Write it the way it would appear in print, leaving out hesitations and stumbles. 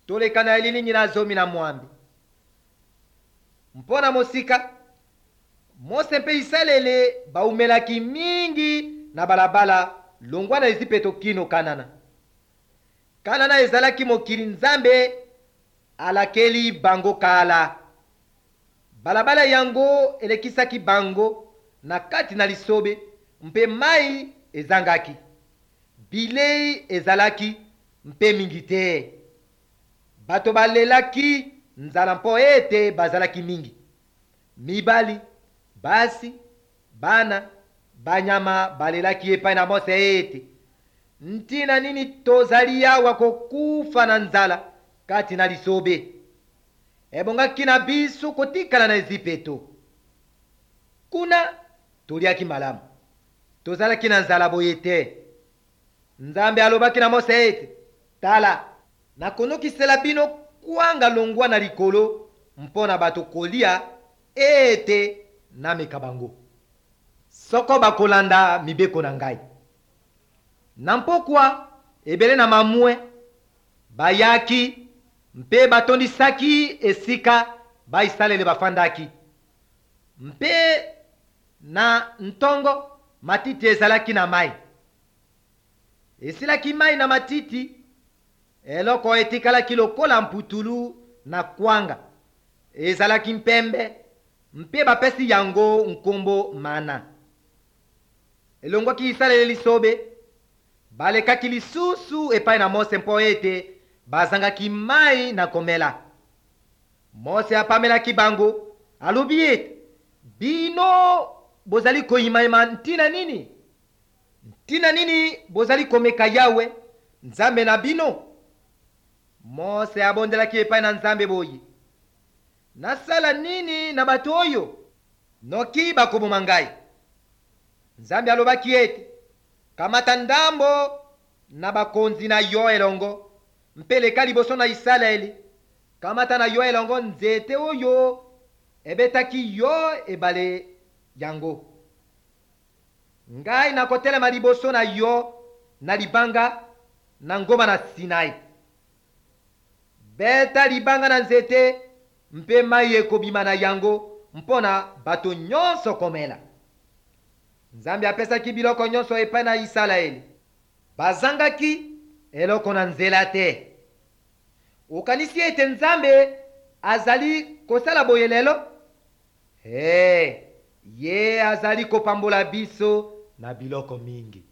Toleka na elilingi na 18. Mpo na mosika, Mose mpe Isalele baumelaki mingi na balabala longwa na Ezipeto kino Kanana. Kanana ezalaki mokili Nzambe alakeli bango kala. Balabala yango elekisaki bango na kati na lisobe mpe mai ezangaki. Bilei ezalaki mpe mingi te. Bato balelaki nzala mpo ete bazalaki mingi. Mibali, basi, bana, banyama balelaki epai na Mose ete, Ntina nini tozali awa kokufa na nzala kati na lisobe? Ebongaki na biso kotikala na Ezipeto. Kuna toliaki malamu, tozalaki na nzala boye te. Nzambe alobaki na Mose ete, Tala, nakonokisela bino kwanga longwa na likolo mpo na bato kolia ete nameka bango, soko bakolanda mibeko na ngai. Na mpokwa, ebele na mamwe bayaki mpe batondisaki esika Bayisalaele bafandaki. Mpe na ntongo matiti ezalaki na mai. Esilaki mai na matiti, eloko etikalaki lokola mputulu na kwanga, ezalaki mpembe, mpe bapesi yango nkombo mana. Elongwaki Yisalaele lisobe, balekaki lisusu epai na Mose mpo ete bazangaki mai na komela. Mose apamelaki bango, alobi ete, Bino bozali koimaima ntina nini? Ntina nini bozali komeka Yawe, Nzambe na bino? Mose abondelaki epai na Nzambe boye, Nasala nini na bato oyo? Noki bakoboma ngai. Nzambe alobaki ete, Kamata ndambo na bakonzi na yo elongo mpe leka liboso na Isalaele. Kamata na yo elongo nzete oyo ebetaki yo ebale yango. Ngai nakotelema liboso na yo na libanga na ngomba na Sinai. Beta libanga na nzete mpe mai ekobima na yango mpo na bato nyonso komela. Nzambe apesaki biloko nyonso epai na Isalaele. Bazangaki eloko na nzela te. Okanisi ete Nzambe azali kosala boye lelo? Ee, ye azali kopambola biso na biloko mingi.